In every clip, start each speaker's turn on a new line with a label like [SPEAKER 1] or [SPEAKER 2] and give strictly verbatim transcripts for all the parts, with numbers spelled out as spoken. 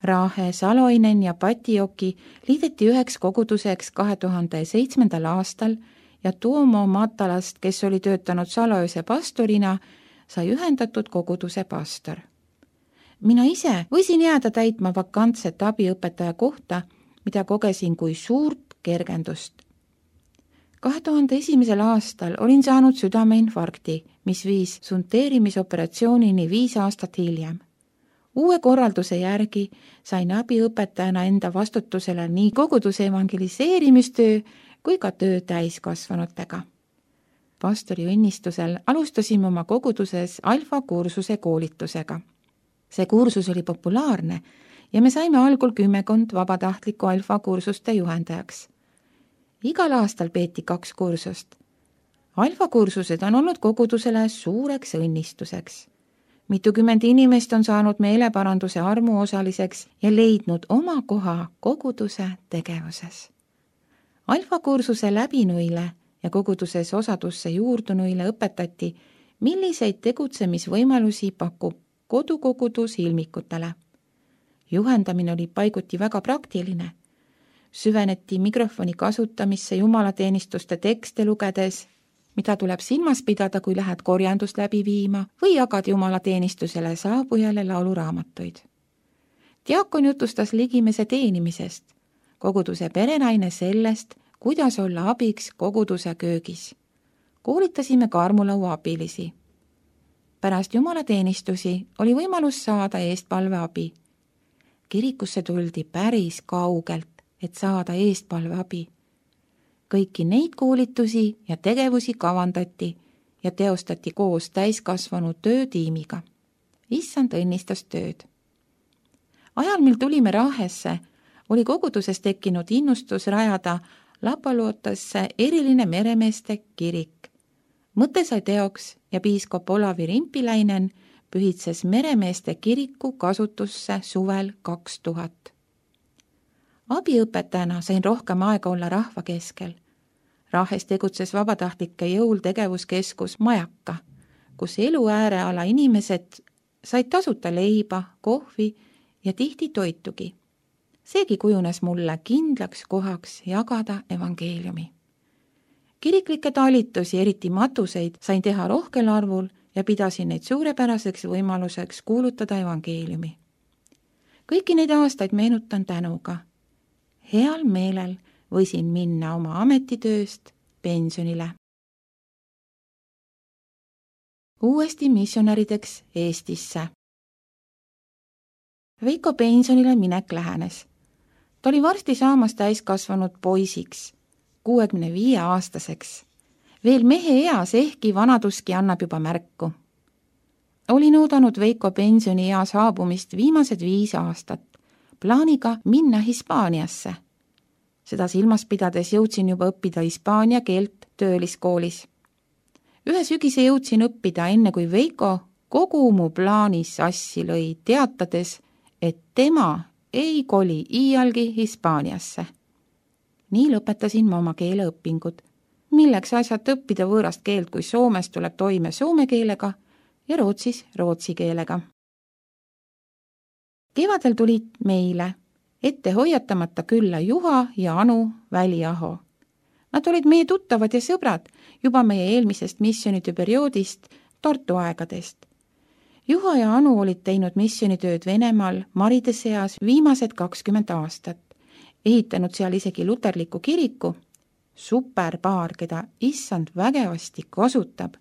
[SPEAKER 1] Raahe, Saloinen ja Patioki liideti üheks koguduseks kahe tuhande seitsmendal aastal ja Tuomo Matalast, kes oli töötanud Saloise pastorina, sai ühendatud koguduse pastor. Mina ise võisin jääda täitma vakantset abiõpetaja kohta, mida kogesin kui suurt kergendust. kahe tuhande esimesel aastal olin saanud südameinfarkti, mis viis sunteerimisoperatsioonini viis aastat hiljem. Uue korralduse järgi sain abiõpetajana enda vastutusele nii koguduse evangeliseerimistöö kui ka töö täiskasvanutega. Pastori õnnistusel alustasime oma koguduses alfa kursuse koolitusega. See kursus oli populaarne ja me saime algul kümmekond vabatahtliku alfa kursuste juhendajaks. Igal aastal peeti kaks kursust. Alfa kursused on olnud kogudusele suureks õnnistuseks. Mitukümmend inimest on saanud meeleparanduse armuosaliseks ja leidnud oma koha koguduse tegevuses. Alfa kursuse läbinuile ja koguduses osadusse juurdunuile õpetati, milliseid tegutsemisvõimalusi pakub kodukogudus ilmikutele. Juhendamine oli paiguti väga praktiline. Süveneti mikrofoni kasutamisse jumalateenistuste tekste lugedes, mida tuleb silmas pidada, kui lähed korjandust läbi viima või jagad jumalateenistusele saabujale lauluraamatuid. Diakon jutustas ligimese teenimisest, koguduse perenaine sellest, kuidas olla abiks koguduse köögis. Koolitasime ka armulaua abilisi. Pärast jumalateenistusi oli võimalus saada eestpalveabi. Kirikusse tuldi päris kaugelt, et saada eestpalveabi. Kõiki neid koolitusi ja tegevusi kavandati ja teostati koos täiskasvanud töötiimiga. Issand õnnistas tööd. Ajal, mil tulime Raahesse, oli koguduses tekkinud innustus rajada Lapalootasse eriline meremeeste kirik. Mõte sai teoks ja piiskop Olavi Rimpiläinen pühitses meremeeste kiriku kasutusse suvel kaks tuhat. Abiõpetajana sain rohkem aega olla rahva keskel. Raahes tegutses vabatahtlike jõul tegevuskeskus Majaka, kus elu ääreala inimesed said tasuta leiba, kohvi ja tihti toitugi. Seegi kujunes mulle kindlaks kohaks jagada evangeeliumi. Kiriklikke talitusi, eriti matuseid, sain teha rohkel arvul ja pidasin neid suurepäraseks võimaluseks kuulutada evangeeliumi. Kõiki neid aastaid meenutan tänuga. Heal meelel võisin minna oma ametitööst pensionile. Uuesti missionärideks Eestisse. Veiko pensionile minek lähenes. Ta oli varsti saamas täiskasvanud poisiks, kuuekümne viie aastaseks. Veel mehe eas, ehkki vanaduski annab juba märku. Olin oodanud Veiko pensioni ea saabumist viimased viis aastat, plaaniga minna Hispaaniasse. Seda silmas pidades jõudsin juba õppida hispaania keelt tööliskoolis. Ühe sügise jõudsin õppida enne, kui Veiko kogu mu plaani sassi lõi, teatades, et tema ei koli iialgi Hispaaniasse. Nii lõpetasin ma oma keeleõpingud, milleks asjad õppida võõrast keelt, kui Soomes tuleb toime soome keelega ja Rootsis rootsi keelega. Kevadel tulid meile ette hoiatamata külla Juha ja Anu Väliaho. Nad olid meie tuttavad ja sõbrad juba meie eelmisest missionide perioodist, Tartu aegadest. Juha ja Anu olid teinud missionitööd Venemaal maride seas viimased kakskümmend aastat, ehitanud seal isegi luterliku kiriku, superpaar, keda issand vägevasti kasutab.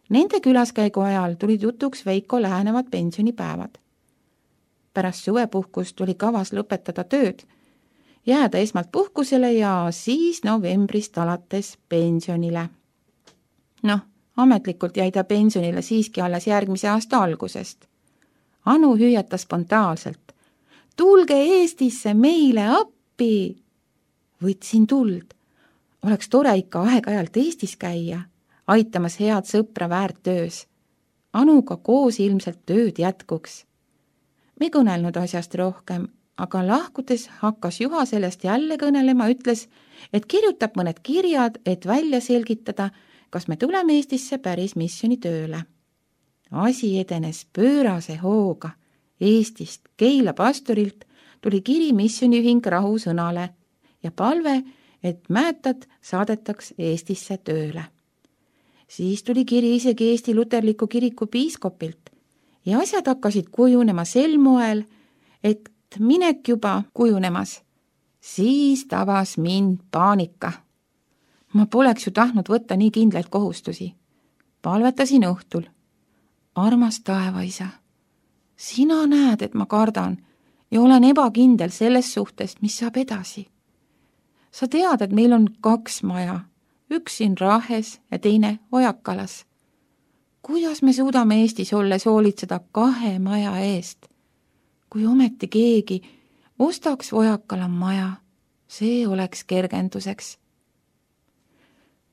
[SPEAKER 1] Nende külaskäigu ajal tulid jutuks Veiko lähenevad pensionipäevad. Pärast suvepuhkust oli kavas lõpetada tööd, jääda esmalt puhkusele ja siis novembrist alates pensionile. Noh, ametlikult jäi ta pensionile siiski alles järgmise aasta algusest. Anu hüüatas spontaanselt. Tulge Eestisse meile appi! Võtsin tuld. Oleks tore ikka aeg-ajalt Eestis käia, aitamas head sõpra väärttöös. Anuga koos ilmselt tööd jätkuks. Me kõnelnud asjast rohkem, aga lahkudes hakkas Juha sellest jälle kõnelema, ütles, et kirjutab mõned kirjad, et välja selgitada, kas me tuleme Eestisse päris missioni tööle. Asi edenes pöörase hooga Eestist Keila pastorilt tuli kiri missioniühing Rahu Sõnale ja palve, et Mäetad saadetaks Eestisse tööle. Siis tuli kiri isegi Eesti Luterliku kiriku piiskopilt ja asjad hakkasid kujunema sel moel, et minek juba kujunemas. Siis tabas mind paanika. Ma poleks ju tahtnud võtta nii kindlaid kohustusi. Palvetasin õhtul. Armas taevaisa, sina näed, et ma kardan ja olen ebakindel selles suhtest, mis saab edasi. Sa tead, et meil on kaks maja, üks siin Rahes ja teine Ojakalas. Kuidas me suudame Eestis olles hoolitseda kahe maja eest? Kui ometi keegi ostaks Ojakala maja, see oleks kergenduseks.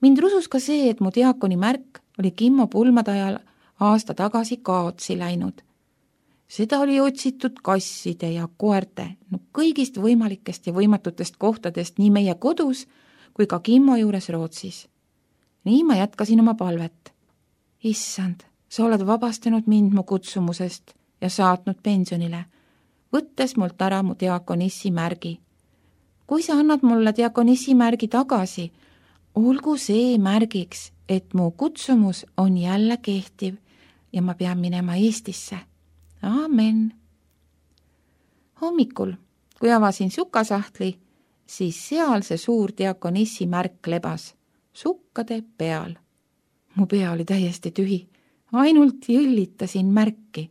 [SPEAKER 1] Mind rusus ka see, et mu diakoni märk oli Kimmo pulmade ajal aasta tagasi kaotsi läinud. Seda oli otsitud kasside ja koerte, no kõigist võimalikest ja võimatutest kohtadest nii meie kodus kui ka Kimmo juures Rootsis. Nii ma jätkasin oma palvet. Issand, sa oled vabastanud mind mu kutsumusest ja saatnud pensionile, võttes mult ära mu diakonissi märgi. Kui sa annad mulle diakonissi märgi tagasi, olgu see märgiks, et mu kutsumus on jälle kehtiv ja ma pean minema Eestisse. Amen. Hommikul, kui avasin sukasahtli, siis seal see suur diakonissi märk lebas sukkade peal. Mu pea oli täiesti tühi, ainult jõllitasin märki.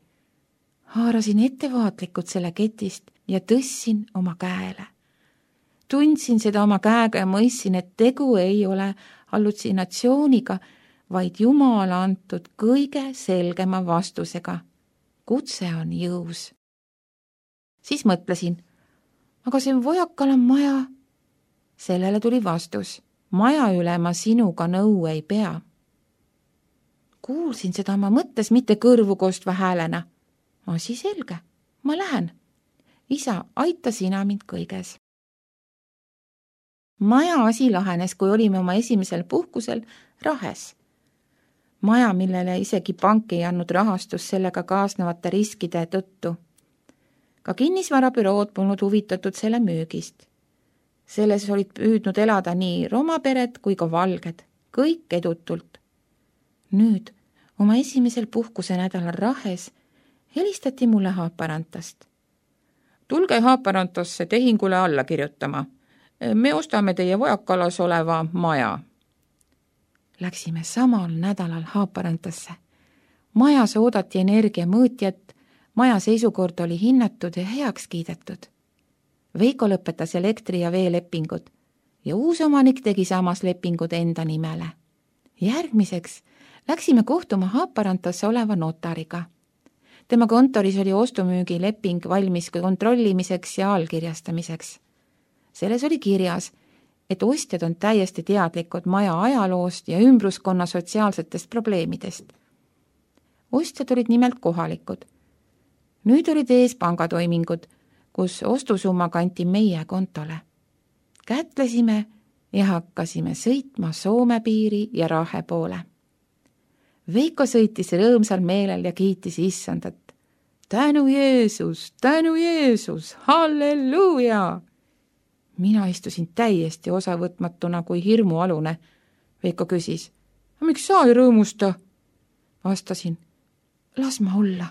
[SPEAKER 1] Haarasin ettevaatlikult selle ketist ja tõssin oma käele. Tundsin seda oma käega ja mõistsin, et tegu ei ole hallutsinatsiooniga, vaid Jumala antud kõige selgema vastusega. Kutse on jõus. Siis mõtlesin, aga see Ojakala maja. Sellele tuli vastus, maja üle ma sinuga nõu ei pea. Kuulsin seda oma mõttes mitte kõrvu kostva häälena. Asi selge, ma lähen. Isa, aita sina mind kõiges. Maja asi lahenes, kui olime oma esimesel puhkusel Rahes. Maja, millele isegi pank ei andnud rahastus sellega kaasnevate riskide tõttu. Ka kinnisvarabürood polnud huvitatud selle müügist. Selles olid püüdnud elada nii romapered kui ka valged, kõik edutult. Nüüd, oma esimesel puhkuse nädalal Rahes, helistati mulle Haaparantast. Tulge Haaparantasse tehingule alla kirjutama. Me ostame teie Ojakalas oleva maja. Läksime samal nädalal Haaparantasse. Majas oodati energiamõõtjat, maja seisukord oli hinnatud ja heaks kiidetud. Veiko lõpetas elektri- ja veelepingud ja uus omanik tegi samas lepingud enda nimele. Järgmiseks läksime kohtuma Haaparantasse oleva notariga. Tema kontoris oli ostumüügi leping valmis kontrollimiseks ja allkirjastamiseks. Selles oli kirjas, et ostjad on täiesti teadlikud maja ajaloost ja ümbruskonna sotsiaalsetest probleemidest. Ostjad olid nimelt kohalikud. Nüüd olid ees pangatoimingud, kus ostusumma kanti meie kontole. Kätlesime ja hakkasime sõitma Soome piiri ja Rahe poole. Veiko sõitis rõõmsal meelel ja kiitis issandat. Tänu Jeesus, tänu Jeesus, halleluuja! Mina istusin täiesti osavõtmatuna kui hirmualune. Veiko küsis, miks sa ei rõõmusta? Vastasin, las ma olla,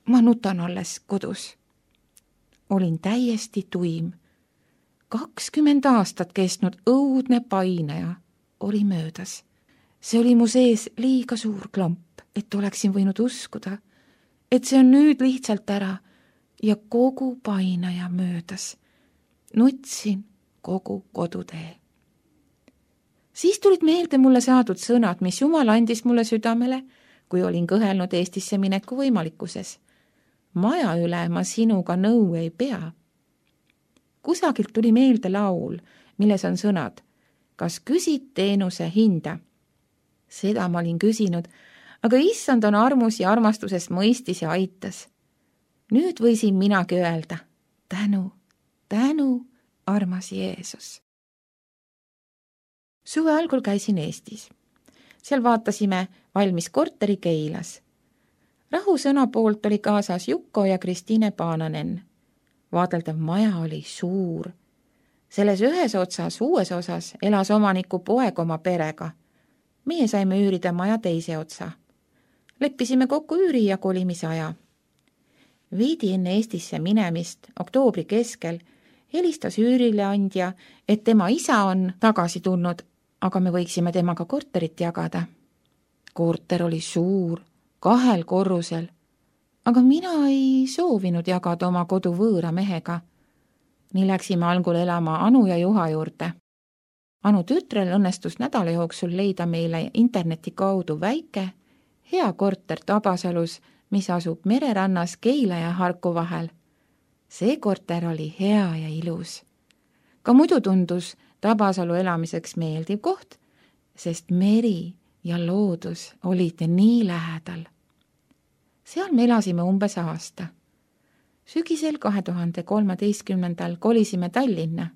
[SPEAKER 1] ma nutan alles kodus. Olin täiesti tuim. kakskümmend aastat kestnud õudne paineja oli möödas. See oli mu sees liiga suur klamp, et oleksin võinud uskuda, et see on nüüd lihtsalt ära ja kogu paineja möödas. Nutsin kogu kodutee. Siis tulid meelde mulle saadud sõnad, mis Jumal andis mulle südamele, kui olin kõhelnud Eestisse mineku võimalikkuses. Maja üle ma sinuga nõu ei pea. Kusagilt tuli meelde laul, milles on sõnad, kas küsid teenuse hinda? Seda ma olin küsinud, aga issand on armus ja armastusest mõistis ja aitas. Nüüd võisin minagi öelda, tänu. Tänu, armas Jeesus. Suve algul käisin Eestis. Seal vaatasime valmis korteri Keilas. Rahusõna poolt oli kaasas Jukko ja Kristiine Paananen. Vaadeldav maja oli suur. Selles ühes otsas, uues osas elas omaniku poeg oma perega. Meie saime üürida maja teise otsa. Leppisime kokku üüri ja kolimise aja. Viidi enne Eestisse minemist, oktoobri keskel, helistas üürileandja, et tema isa on tagasi tulnud, aga me võiksime temaga korterit jagada. Korter oli suur, kahel korrusel, aga mina ei soovinud jagada oma kodu võõra mehega. Nii läksime algul elama Anu ja Juha juurde. Anu tütrel õnnestus nädala jooksul leida meile interneti kaudu väike, hea korter Tabasalus, mis asub mererannas Keila ja Harku vahel. See korter oli hea ja ilus. Ka muidu tundus Tabasalu elamiseks meeldiv koht, sest meri ja loodus olid nii lähedal. Seal me elasime umbes aasta. Sügisel kahe tuhande kolmeteistkümnendal kolisime Tallinna.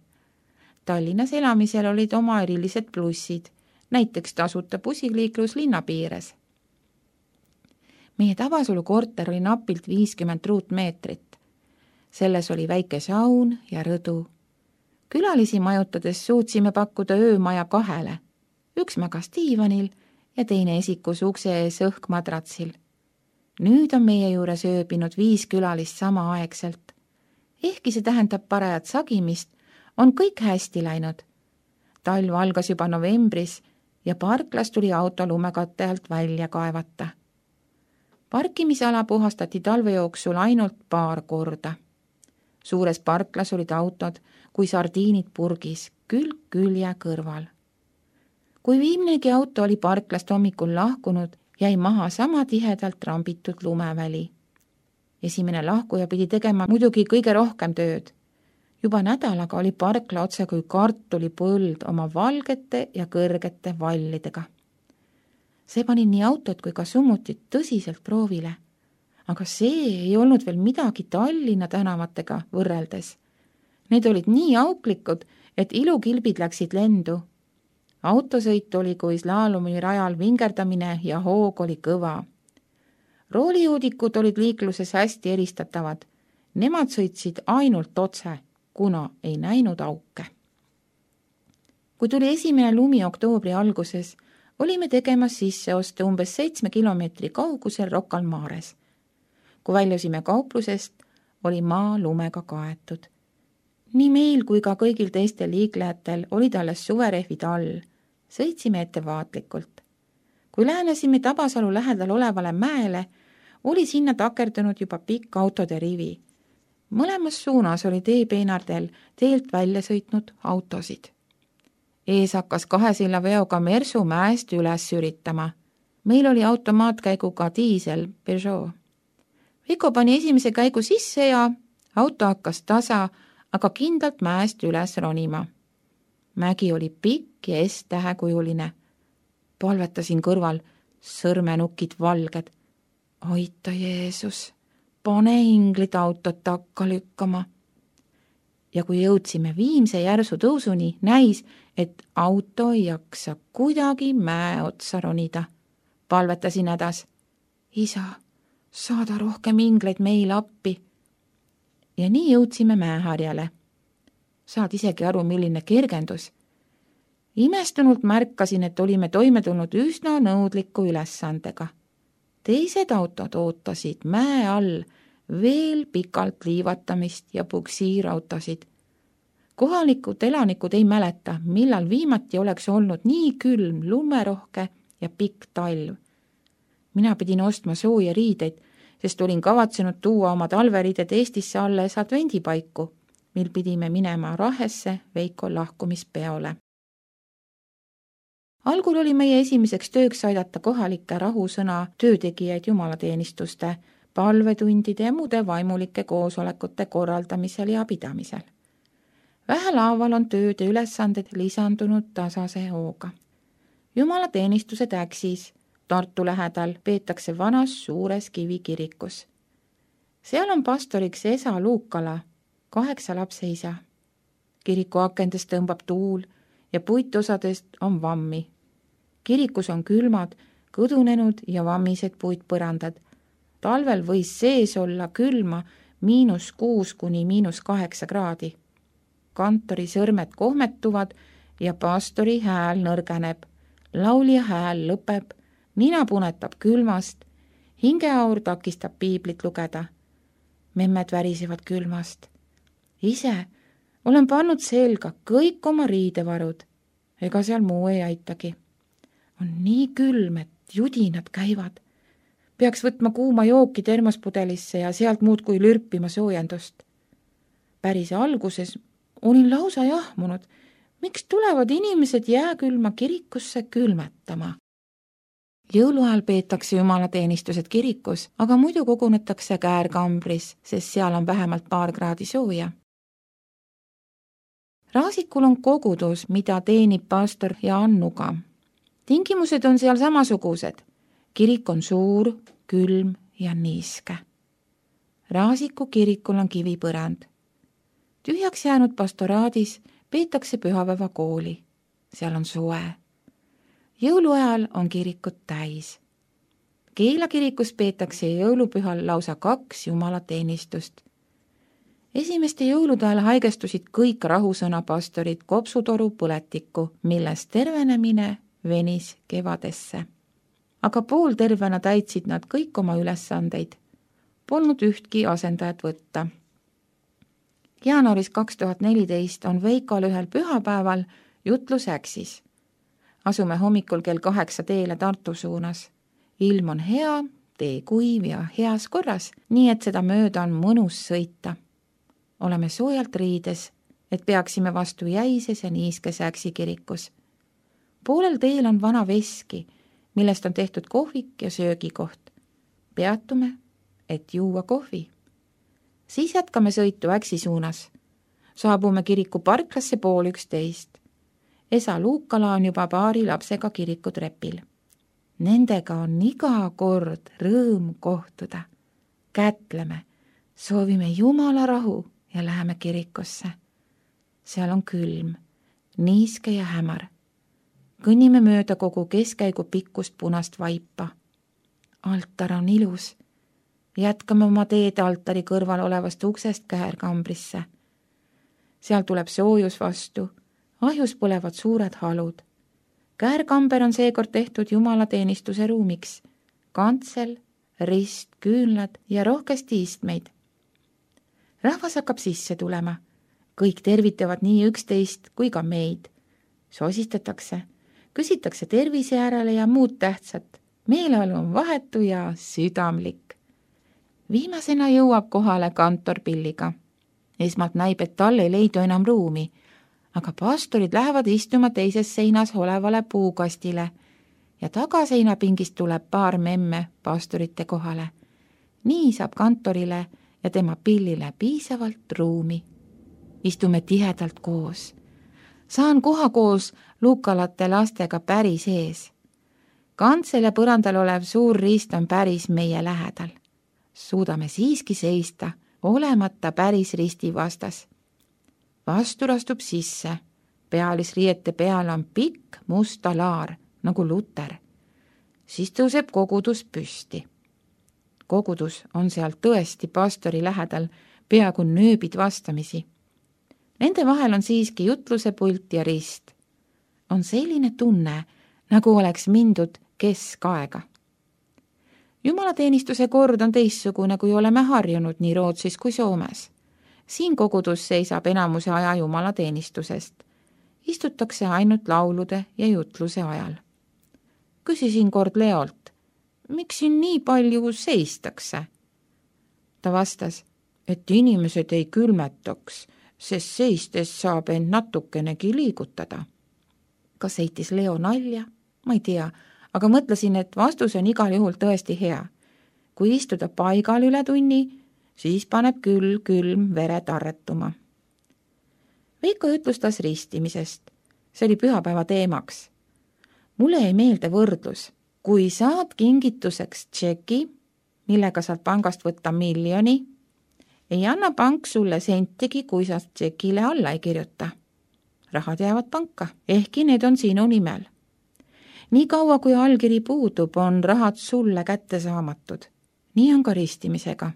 [SPEAKER 1] Tallinnas elamisel olid oma erilised plussid, näiteks tasuta bussiliiklus linna piires. Meie Tabasalu korter oli napilt viiskümmend ruutmeetrit. Selles oli väike saun ja rõdu. Külalisi majutades suutsime pakkuda öömaja kahele. Üks magas diivanil ja teine esikus ukse ees õhkmadratsil. Nüüd on meie juures ööbinud viis külalist samaaegselt. Ehkki see tähendab parajat sagimist, on kõik hästi läinud. Talv algas juba novembris ja parklas tuli auto lumekatte alt välja kaevata. Parkimisala puhastati talve jooksul ainult paar korda. Suures parklas olid autod kui sardiinid purgis, külg külje kõrval. Kui viimnegi auto oli parklast hommikul lahkunud, jäi maha sama tihedalt rambitud lumeväli. Esimene lahkuja pidi tegema muidugi kõige rohkem tööd. Juba nädalaga oli parkla otse kui kartulipõld oma valgete ja kõrgete vallidega. See pani nii autot kui ka summutit tõsiselt proovile, aga see ei olnud veel midagi Tallinna tänavatega võrreldes. Need olid nii auklikud, et ilukilbid läksid lendu. Autosõit oli kui slaalumi rajal vingerdamine ja hoog oli kõva. Roolijuudikud olid liikluses hästi eristatavad. Nemad sõitsid ainult otse, kuna ei näinud auke. Kui tuli esimene lumi oktoobri alguses, olime tegemas sisseoste umbes seitsme kilomeetri kaugusel Rocca al Mares. Kui väljusime kauplusest, oli maa lumega kaetud. Nii meil kui ka kõigil teistel liiklejatel olid alles suverehvid all. Sõitsime ettevaatlikult. Kui lähenesime Tabasalu lähedal olevale mäele, oli sinna takerdunud juba pikk autode rivi. Mõlemas suunas oli teepeenardel teelt välja sõitnud autosid. Ees hakkas kahe silla veoga Mersu mäest üles üritama. Meil oli automaatkäiguga diisel Peugeot. Veiko pani esimese käigu sisse ja auto hakkas tasa, aga kindlalt mäest üles ronima. Mägi oli pikk ja S-tähekujuline. Palvetasin kõrval, sõrmenukid valged. Aita Jeesus, pane inglid autot takka lükkama. Ja kui jõudsime viimse järsu tõusuni, näis, et auto ei jaksa kuidagi mäe otsa ronida. Palvetasin hädas. Isa, saada rohkem ingleid meil appi. Ja nii jõudsime mäeharjale. Saad isegi aru, milline kergendus. Imestunult märkasin, et olime toime tulnud üsna nõudliku ülesandega. Teised autod ootasid mäe all veel pikalt liivatamist ja puksiirautosid. Kohalikud elanikud ei mäleta, millal viimati oleks olnud nii külm, lumerohke ja pikk talv. Mina pidin ostma sooja riideid, sest olin kavatsenud tuua oma talveriided Eestisse alles advendipaiku, mil pidime minema Rahesse Veiko lahkumispeole. Algul oli meie esimeseks tööks aidata kohalikke rahusõna töötegijaid jumalateenistuste, palvetundide ja muude vaimulike koosolekute korraldamisel ja pidamisel. Vähelaaval on tööde ülesanded lisandunud tasase hooga. Jumalateenistuse Täksis Tartu lähedal peetakse vanas suures kivikirikus. Seal on pastoriks Esa Luukala, kaheksa lapse isa. Kiriku akendest tõmbab tuul ja puitosadest on vammi. Kirikus on külmad, kõdunenud ja vammised puitpõrandad, Talvel võis sees olla külma miinus kuus kuni miinus kaheksa kraadi. Kantori sõrmed kohmetuvad ja pastori hääl nõrgeneb. Laulja hääl lõpeb, nina punetab külmast, hingeaur takistab piiblit lugeda. Memmed värisevad külmast. Ise olen pannud selga kõik oma riidevarud, ega seal muu ei aitagi. On nii külm, et judinad käivad. Peaks võtma kuuma jooki termospudelisse ja sealt muud kui lürpima soojendust. Päris alguses olin lausa jahmunud, miks tulevad inimesed jääkülma kirikusse külmetama. Jõuluajal peetakse jumalateenistused kirikus, aga muidu kogunetakse käärkambris, sest seal on vähemalt paar kraadi sooja. Raasikul on kogudus, mida teenib pastor ja Annuga. Tingimused on seal samasugused. Kirik on suur, külm ja niiske. Raasiku kirikul on kivipõrand. Tühjaks jäänud pastoraadis peetakse pühapäeva kooli. Seal on soe. Jõuluajal on kirikud täis. Keila kirikus peetakse jõulupühal lausa kaks jumalateenistust. Esimeste jõulude ajal haigestusid kõik rahusõna pastorid kopsutoru põletikku, millest tervenemine venis kevadesse. Aga pooltervena täitsid nad kõik oma ülesandeid. Polnud ühtki asendajat võtta. Jaanuaris kaks tuhat neliteist on Veikol ühel pühapäeval jutlus Äksis. Asume hommikul kell kaheksa teele Tartu suunas. Ilm on hea, tee kuiv ja heas korras, nii et seda mööda on mõnus sõita. Oleme soojalt riides, et peaksime vastu jäises ja niiskes Äksi kirikus. Poolel teel on vana veski, millest on tehtud kohvik ja söögikoht. Peatume, et juua kohvi. Siis jätkame sõitu Äksi suunas. Saabume kiriku parklasse pool üksteist. Esa Luukala on juba paari lapsega kirikutrepil. Nendega on iga kord rõõm kohtuda. Kätleme, soovime Jumala rahu ja läheme kirikusse. Seal on külm, niiske ja hämar. Kõnnime mööda kogu keskkäigu pikkust punast vaipa. Altar on ilus. Jätkame oma teed altari kõrval olevast uksest käärkambrisse. Seal tuleb soojus vastu. Ahjus põlevad suured halud. Käärkamber on seekord tehtud jumalateenistuse ruumiks. Kantsel, rist, küünlad ja rohkesti istmeid. Rahvas hakkab sisse tulema. Kõik tervitavad nii üksteist kui ka meid. Sosistatakse, küsitakse tervise järele ja muud tähtsat. Meeleolu on vahetu ja südamlik. Viimasena jõuab kohale kantor Pilliga. Esmalt näib, et tal ei leidu enam ruumi, aga pastorid lähevad istuma teises seinas olevale puukastile ja tagaseinapingist tuleb paar memme pastorite kohale. Nii saab kantorile ja tema Pillile piisavalt ruumi. Istume tihedalt koos. Saan koha koos Luukalate lastega päris ees. Kantsel ja põrandal olev suur rist on päris meie lähedal. Suudame siiski seista, olemata päris risti vastas. Vastur astub sisse. Pealisriiete peal on pikk musta laar, nagu luter. Siis tõuseb kogudus püsti. Kogudus on seal tõesti pastori lähedal, peaaegu nööbid vastamisi. Nende vahel on siiski jutluse pult ja rist. On selline tunne, nagu oleks mindud keskaega. Jumalateenistuse kord on teissugune, kui oleme harjunud nii Rootsis kui Soomes. Siin kogudus seisab enamuse aja jumalateenistusest. Istutakse ainult laulude ja jutluse ajal. Küsisin kord Leolt, miks siin nii palju seistakse? Ta vastas, et inimesed ei külmetaks, sest seistes saab end natukenegi liigutada. Kas heitis Leo nalja? Ma ei tea, aga mõtlesin, et vastus on igal juhul tõesti hea. Kui istuda paigal üle tunni, siis paneb küll külm vered arretuma. Veiko jutlustas ristimisest. See oli pühapäeva teemaks. Mulle ei meelde võrdlus. Kui saad kingituseks tšeki, millega saad pangast võtta miljoni, ei anna pank sulle sentigi, kui sa tšekile alla ei kirjuta. Rahad jäävad panka, ehkki need on sinu nimel. Nii kaua, kui allkiri puudub, on rahad sulle kätte saamatud. nii on ka ristimisega.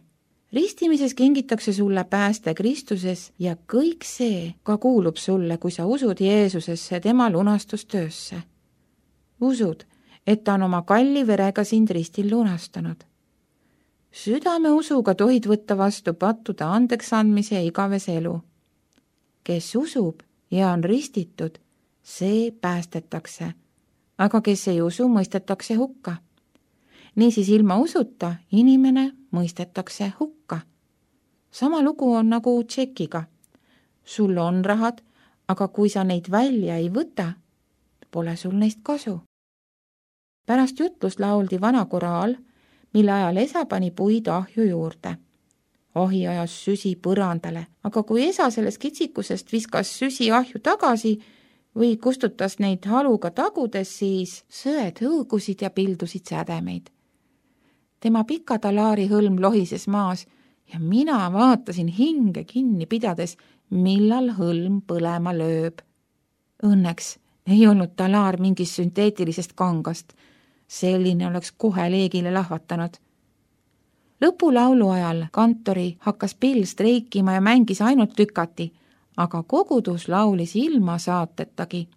[SPEAKER 1] Ristimises kingitakse sulle pääste Kristuses ja kõik see ka kuulub sulle, kui sa usud Jeesusesse, tema lunastustöösse. Usud, et ta on oma kalli verega sind ristil lunastanud. Südame usuga tohid võtta vastu pattude andeks andmise ja igavese elu. Kes usub ja on ristitud, see päästetakse, aga kes ei usu, mõistetakse hukka. Niisiis ilma usuta inimene mõistetakse hukka. Sama lugu on nagu tšekiga. Sul on rahad, aga kui sa neid välja ei võta, pole sul neist kasu. Pärast jutlust lauldi vana koraal, mille ajal esa pani puid ahju juurde. Ahi ajas süsi põrandale, aga kui esa sellest kitsikusest viskas süsi ahju tagasi või kustutas neid haluga tagudes, siis söed hõõgusid ja pildusid sädemeid. Tema pika talaari hõlm lohises maas ja mina vaatasin hinge kinni pidades, millal hõlm põlema lööb. Õnneks ei olnud talaar mingist sünteetilisest kangast. Selline oleks kohe leegile lahvatanud. Lõpulaulu ajal kantori hakkas Bill streikima ja mängis ainult lükati, aga kogudus laulis ilma saatetagi.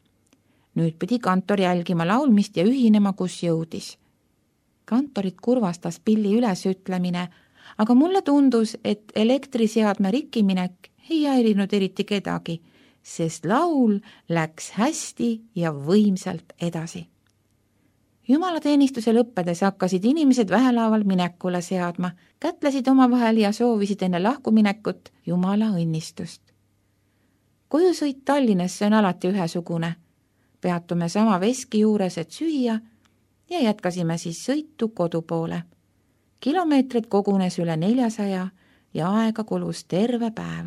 [SPEAKER 1] Nüüd pidi kantor jälgima laulmist ja ühinema, kus jõudis. Kantorit kurvastas Billi ülesütlemine, aga mulle tundus, et elektriseadme rikkiminek ei häirinud eriti kedagi, sest laul läks hästi ja võimsalt edasi. Jumalateenistuse lõppedes hakkasid inimesed vähelaaval minekule seadma, kätlesid omavahel ja soovisid enne lahkuminekut Jumala õnnistust. Kojusõit Tallinnasse on alati ühesugune. Peatume sama veski juures, et süüa ja jätkasime siis sõitu kodu poole. Kilomeetrid kogunes üle neljasaja ja aega kulus terve päev.